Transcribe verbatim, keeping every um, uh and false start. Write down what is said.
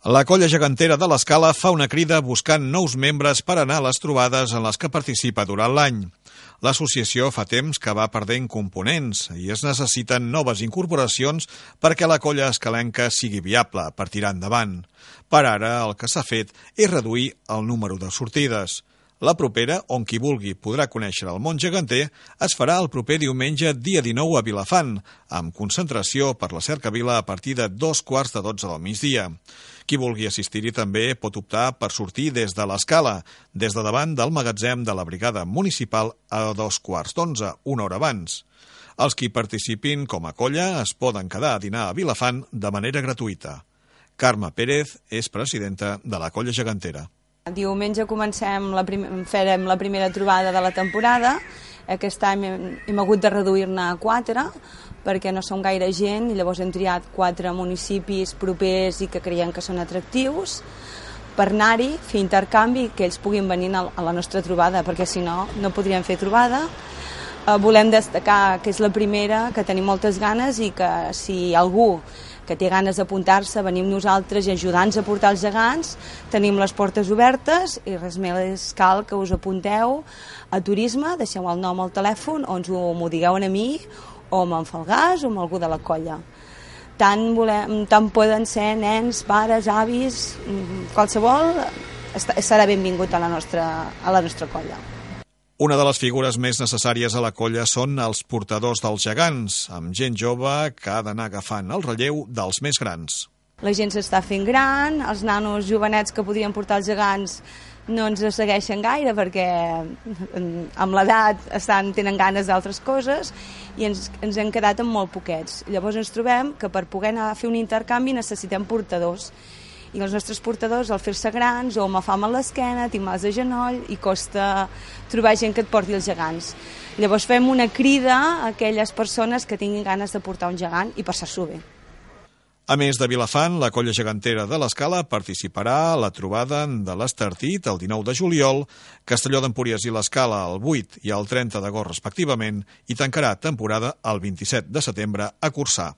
La colla gegantera de l'Escala fa una crida buscant nous membres per anar a les trobades en les que participa durant l'any. L'associació fa temps que va perdent components i es necessiten noves incorporacions perquè la colla escalenca sigui viable per tirar endavant. Per ara, el que s'ha fet és reduir el número de sortides. La propera, on qui vulgui podrà conèixer el món geganter, es farà el proper diumenge dia dinou a Vilafant, amb concentració per la Cercavila a partir de dos quarts de dotze del migdia. Qui vulgui assistir-hi també pot optar per sortir des de l'Escala, des de davant del magatzem de la Brigada Municipal a dos quarts d'onze, una hora abans. Els qui participin com a colla es poden quedar a dinar a Vilafant de manera gratuïta. Carme Pérez és presidenta de la colla gegantera. Diumenge comencem la prim... farem la primera trobada de la temporada. Aquest any hem, hem hagut de reduir-ne a quatre perquè no som gaire gent i llavors hem triat quatre municipis propers i que creiem que són atractius per anar-hi, fer intercanvi i que ells puguin venir a la nostra trobada, perquè si no, no podríem fer trobada. Eh, volem destacar que és la primera, que tenim moltes ganes i que si algú que té ganes d'apuntar-se, venim nosaltres i ajudar-nos a portar els gegants, tenim les portes obertes i res més cal que us apunteu a turisme, deixeu el nom al telèfon o ens ho, m'ho digueu a mi o amb en Falgàs o amb algú de la colla. Tant, volem, tant poden ser nens, pares, avis, qualsevol serà benvingut a la nostra, a la nostra colla. Una de les figures més necessàries a la colla són els portadors dels gegants, amb gent jove que ha d'anar agafant el relleu dels més grans. La gent s'està fent gran, els nanos jovenets que podrien portar els gegants no ens segueixen gaire perquè amb l'edat estan, tenen ganes d'altres coses i ens, ens hem quedat amb molt poquets. Llavors ens trobem que per poder anar a fer un intercanvi necessitem portadors. I els nostres portadors, al fer-se grans, o amb fam a l'esquena, tinc mals de genoll, i costa trobar gent que et porti els gegants. Llavors fem una crida a aquelles persones que tinguin ganes de portar un gegant i passar-s'ho bé. A més de Vilafant, la colla gegantera de l'Escala participarà a la trobada de l'Estartit el dinou de juliol, Castelló d'Empúries i l'Escala el vuit i el trenta d'agost respectivament, i tancarà temporada el vint-i-set de setembre a Corçà.